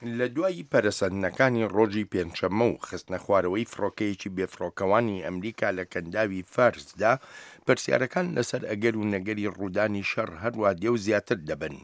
لە دوای پەرەسەندنەکانی ڕۆژی پێنجشەممە و خستنەخوارەوەی فڕۆکەیەکی بێفڕۆکەوانی ئەمریکا لە کەنداوی فارسدا، پرسیارەکان لەسەر ئەگەر و نەگەری ڕوودانی شەڕ هەروا دێ و زیاتر دەبن.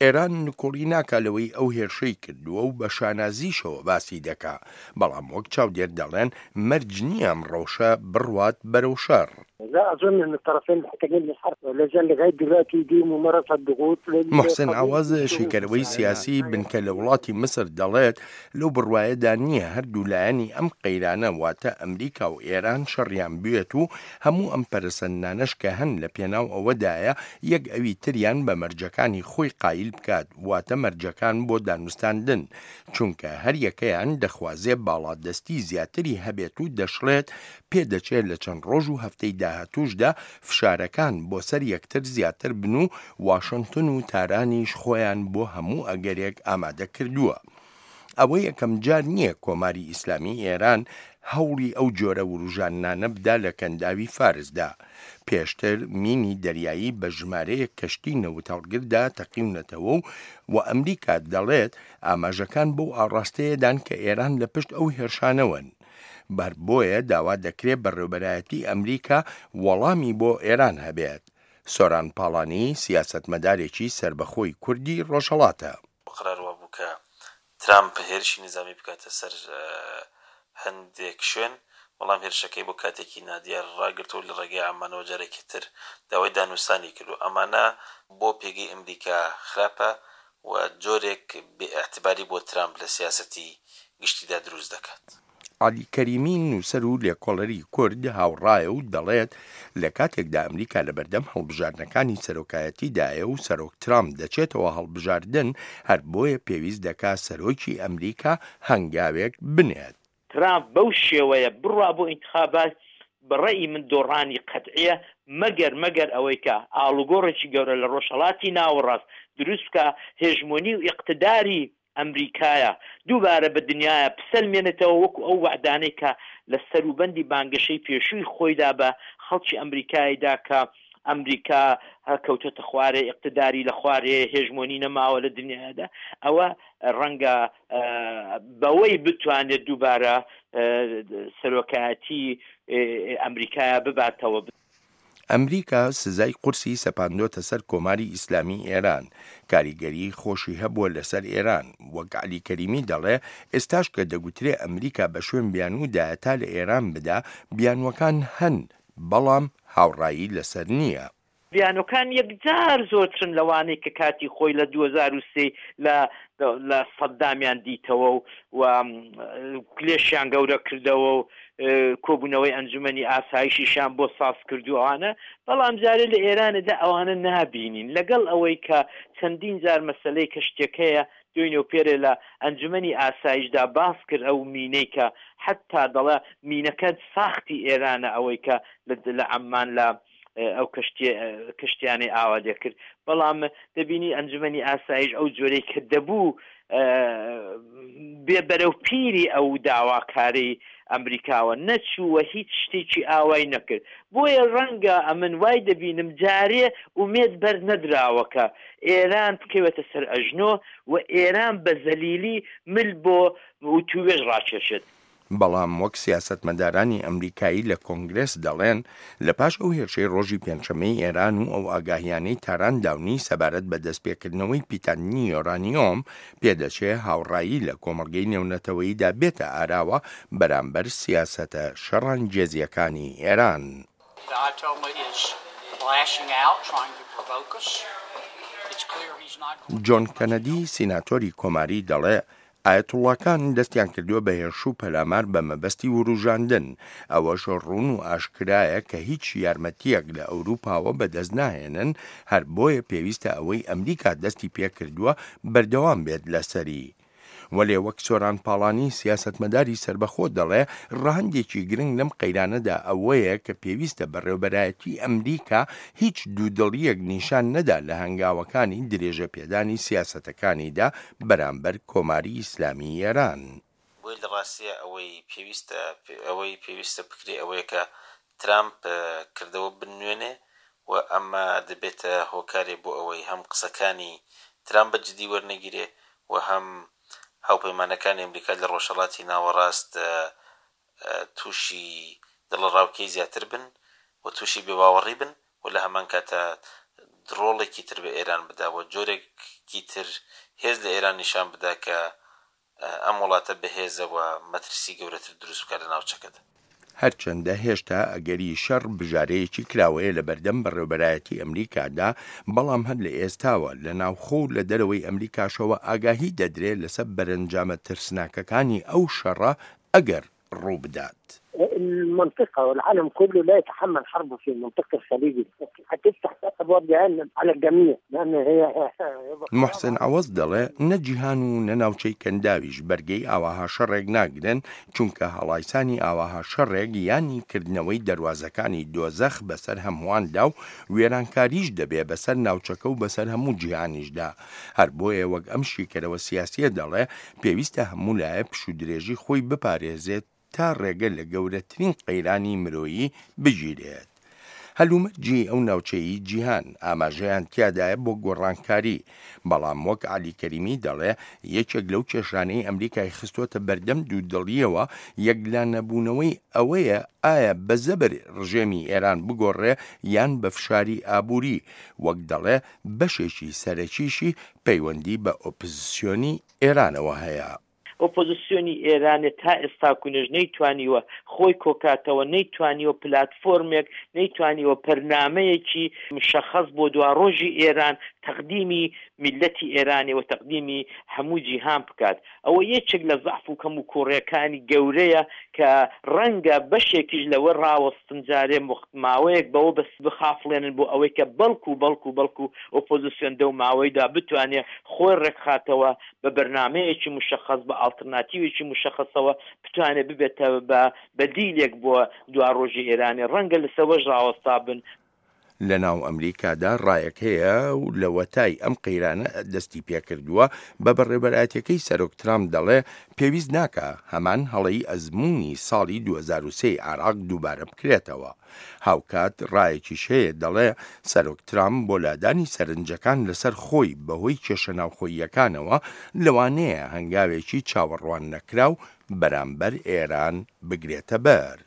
ئێران نکوڵی ناکا لەوەی ئەو هێرشەی کردووە و بە شانازیشەوە باسی دەکا، بەڵام وەک چاودێر دەڵێن مەرج نییە ئەم ڕەوشە بڕوات بەرەو شەڕ. لا اظن ان الطرفين محتاجين للحرب لا زال لغايه دلوقتي دي ممارسه ضغوط موحسن عەوەز، شیکەرەوەی سیاسی بنکە لە وڵاتی میسر دەڵێت، لەو بڕوایەدا نییە هەردوو لایەنی ئەم قەیرانە واتە ئەمریکا و ئێران شەڕیان بوێت و هەموو ئەم پەرەسەندنانەش کە هەن لە پێناو ئەوەدایە یەک ئەوی تریان بە مەرجەکانی خۆی قایل بکات واتە مەرجەکان بۆ دانوستاندن چونکە هەریەکەیان دەخوازێ باڵادەستی زیاتری هەبێت و دەشڵێت پێدەچێت لە چەند ڕۆژ و هەفتەی داهاتووشدا فشارەکان بۆ سەر یەکتر زیاتر بن و واشنتن و تارانیش خۆیان بۆ هەموو ئەگەرێک ئامادە کردووە. ئەوە یەکەم جار نییە کۆماری ئیسلامی ئێران هەوڵی ئەو جۆرە وروژاندنانە بدا لە کەنداوی فارسدا. پێشتر مینی دەریایی بە ژمارەیەک کەشتی نەوتهەڵگردا تەقیونەتەوە و و ئەمریکا دەڵێت ئاماژەکان بەو ئاڕاستەیەدان کە ئێران لە پشت ئەو هێرشانەوەن. بەر بۆیە داوا دەکرێ بەڕێوبەرایەتی ئەمریکا وەڵامی بۆ ئێران هەبێت. سۆران پاڵانی سیاسەتمەدارێکی سەربەخۆی کوردی ڕۆژهەڵاتە. قەرار وابوو کە ترامپ هێرشی نیزامی بکاتە سەر هەندێک شوێن، بەڵام هێرشەکەی بۆ کاتێکی نادیار ڕاگرت و لە ڕێگەی عەممانەوە جارێکی تر داوای دانوستانی کرد و ئەمانە بۆ پێگەی ئەمریکا خراپە و جۆرێک بێ ئیعتباری بۆ ترامپ لە سیاسەتی گشتیدا دروست دەکات. عەلی کەریمی، نووسەر و لێکۆڵەری کورد هاوڕایە و دەڵێت، لە کاتێکدا ئەمریکا لەبەردەم هەڵبژاردنەکانی سەرۆکایەتیدایە و سەرۆک ترامپ دەچێتەوە هەڵبژاردن، هەر بۆیە پێویست دەکا سەرۆکی ئەمریکا هەنگاوێک بنێت. ترامپ بەو شێوەیە بڕوا بۆ ئینتخابات بە ڕەئی من دۆڕانی قەتعیە مەگەر مەگەر ئەوەی کە ئاڵوگۆڕێکی گەورە لە ڕۆژهەڵاتی ناوەڕاست دروست بکا هێژمۆنی و ئیقتداری ئەمریکایە دووبارە بە دنیایا بسەلمێنێتەوە وەکو ئەو وەعدانەی کە لە سەروبەندی بانگەشەی پێشووی خۆیدا بە خەڵکی ئەمریکای دا کە ئەمریکا کەوتۆتە خوارێ ئیقتداری لە خوارێ هێژمۆنی نەماوە لە دنیادا ئەوە ڕەنگە بەوەی بتوانێت دووبارە سەرۆکایەتی ئەمریکایە بباتەوە. ئەمریکا سزای قورسی سەپاندۆتە سەر کۆماری ئیسلامی ئێران، کاریگەریی خۆشی هەبووە لەسەر ئێران، وەک عەلی کەریمی دەڵێ، ئێستاش کە دەگوترێ ئەمریکا بە شوێن بیانوودایە تا لە ئێران بدا، بیانووەکان هەن، بەڵام هاوڕایی لەسەر نییە. بیانووەکان یەکجار زۆرترن لەوانەی کە کاتی خۆی لە 2003 لە لە سەدامیان دیتەوە و و کلێشیان گەورە کردەوە و کۆبوونەوەی ئەنجومەنی ئاسایشیشیان بۆ ساز کرد و ئەوانە، بەڵام جارێ لە ئێرانێدا ئەوانە نابینین لەگەڵ ئەوەی کە چەندین جار مەسەلەی کەشتیەکەیە دوێنێ و پێرێ لە ئەنجومەنی ئاسایشدا باس کرد ئەو مینەی کە حەتا دەڵێ مینەکە ساختی ئێرانە ئەوەی کە لە عەممان لە ئەو کەشتیانەی ئاوا لێکرد بەڵام دەبینی ئەنجومەنی ئاسایش ئەو جۆرەی کە دەبوو بێ بەرەو پیری ئەو داواکاری ئەمریکاوە نەچوو و هیچ شتێکی ئاوای نەکرد بۆیە ڕەنگە ئەمن وای دەبینم جارێ ئومێد بەر نەدراوە کە ئێران بکەوێتە سەر ئەژنۆ و ئێران بە زەلیلی مل بۆ وتووێژ ڕاکێشێت. بەڵام وەک سیاسەتمەدارانی ئەمریکایی لە کۆنگرێس دەڵێن، لە پاش ئەو هێرشەی ڕۆژی پێنجشەممەی ئێران و ئەو ئاگاهیانەی تاران داونی سەبارەت بە دەستپێکردنەوەی پیتاندنی یۆرانیۆم، پێدەچێ هاوڕایی لە کۆمەڵگەی نێونەتەوەییدا بێتە ئاراوە بەرامبەر سیاسەتە شەڕانگێزییەکانی ئێران. جۆن کەنەدی، سیناتۆری کۆماری دەڵێ، ئایەتوڵڵاکان دەستیان کردووە بە هێرش و پەلامار بە مەبەستی وروژاندن، ئەوەش ڕوون و ئاشکرایە کە هیچ یارمەتییەک لە ئەوروپاوە بەدەست ناهێنن، هەر بۆیە پێویستە ئەوەی ئەمریکا دەستی پێکردووە بەردەوام بێت لەسەری. وەلێ وەک سۆران پاڵانی سیاسەتمەداری سەربەخۆ دەڵێ، ڕەهەندێکی گرنگ لەم قەیرانەدا ئەوەیە کە پێویستە بەڕێوبەرایەتی ئەمریکا هیچ دوودڵییەک نیشان نەدا لە هەنگاوەکانی درێژەپێدانی سیاسەتەکانیدا بەرامبەر کۆماری ئیسلامی ئێران. بۆیە لە ڕاستیا ئەوەی پێویستە ئەوەی پێویستە بکرێ ئەوەیە کە ترامپ کردەوە بنوێنێ و ئەمە دەبێتە هۆکارێ بۆ ئەوەی هەم قسەکانی ترامپ بە جدی وەرنەگیرێ و هەم. هاوپەیمانەکانی ئەمریکا لە ڕۆژهەڵاتی ناوەڕاست تووشی دڵەڕاوکێی زیاتر بن و تووشی بێباوەڕی بن و لە هەمان کاتا ڕۆڵێکی تر بە ئێران بدا و جۆرێکی تر هێز لە ئێران نیشان بدا کە ئەم وڵاتە بەهێزە و مەترسی گەورەتر دروست بکات لە ناوچەکەدا. هەرچەندە هێشتا ئەگەری شەڕ بژارەیەکی کراوەیە لەبەردەم بەڕێوبەرایەتی ئەمریکادا، بەڵام هەر لە ئێستاوە لە ناوخۆ و لە دەرەوەی ئەمریکاشەوە ئاگاهی دەدرێ لەسەر بەرەنجامە ترسناکەکانی ئەو شەڕە ئەگەر ڕووبدات. المنطقة والعالم كله لا يتحمل حرب في منطقة الخليج هتفتح أبواب جهنم على الجميع لأن هي موحسن عەوەز دەڵێ، نە جیهان و نە ناوچەی کەنداویش بەرگەی ئاواها شەڕێک ناگرن، چونکە هەڵایسانی ئاواها شەڕێک یانی کردنەوەی دەروازەکانی دۆزەخ بەسەر هەموواندا و وێرانکاریش دەبێ بەسەر ناوچەکە و بەسەر هەموو جیهانیشدا. هەر بۆیە وەک ئەم شیکەرەوە سیاسیە دەڵێ، پێویستە هەموو لایە پشوودرێژی خۆی بپارێزێت تا ڕێگە لە گەورەترین قەیرانی مرۆیی بگیرێت. هەلومەرجی ئەو ناوچەیی جیهان ئاماژەیان تیادایە بۆ گۆڕانکاری، بەڵام وەک عەلی کەریمی دەڵێ یەکێک لەو کێشانەی ئەمریکای خستۆتە بەردەم دوودڵییەوە یەکلانەبوونەوەی ئەوەیە ئایا بە زەبر ڕژێمی ئێران بگۆڕێ یان بە فشاری ئابووری، وەک دەڵێ بەشێکی سەرەکیشی پەیوەندی بە ئۆپزسیۆنی ئێرانەوە هەیە. ئۆپۆزسیۆنی ئێرانێ تا ئێستاکونەش نەیتوانیوە خۆی کۆکاتەوە، نەیتوانیوە پلاتفۆرمێک، نەیتوانیوە پەرنامەیەکی مشەخەس بۆ دواڕۆژی ئێران تەقدیمی میللەتی ئێرانێ و تەقدیمی هەموو جیهان بکات. ئەوە یەکێک لە زەعف و کەموکووڕیەکانی گەورەیە کە ڕەنگە بەشێکیش لەوە ڕاوەستن جارێ ماوەیەک بەوە بەس بخافڵێنن بۆ ئەوەی کە بەڵکو بەڵکو بەڵکو ئۆپۆزسیۆن دەو ماوەیدا بتوانێ خۆی ڕێکخاتەوە بە بەرنامەیەکی مشەخەس بە ئاڵترناتیوێکی مشەخەسەوە بتوانێ ببێتە بە بەدیلێک بۆ دواڕۆژی ئێرانێ ڕەنگە لەسەوەش ڕاوەستابن. لە ناو ئەمریکادا ڕایەک هەیە و لەوەتای ئەم قەیرانە دەستی پێکردووە بە بەڕێوبەرایەتیەکەی سەرۆک ترامپ دەڵێ پێویست ناکا هەمان هەڵەی ئەزموونی ساڵی 2003 ی عێراق دووبارە بکرێتەوە. هاوکات ڕایەکیش هەیە دەڵێ سەرۆک ترامپ بۆ لادانی سەرنجەکان لەسەر خۆی بەهۆی کێشە ناوخۆییەکانەوە لەوانەیە هەنگاوێکی چاوەڕواننەکراو بەرامبەر ئێران بگرێتەبەر.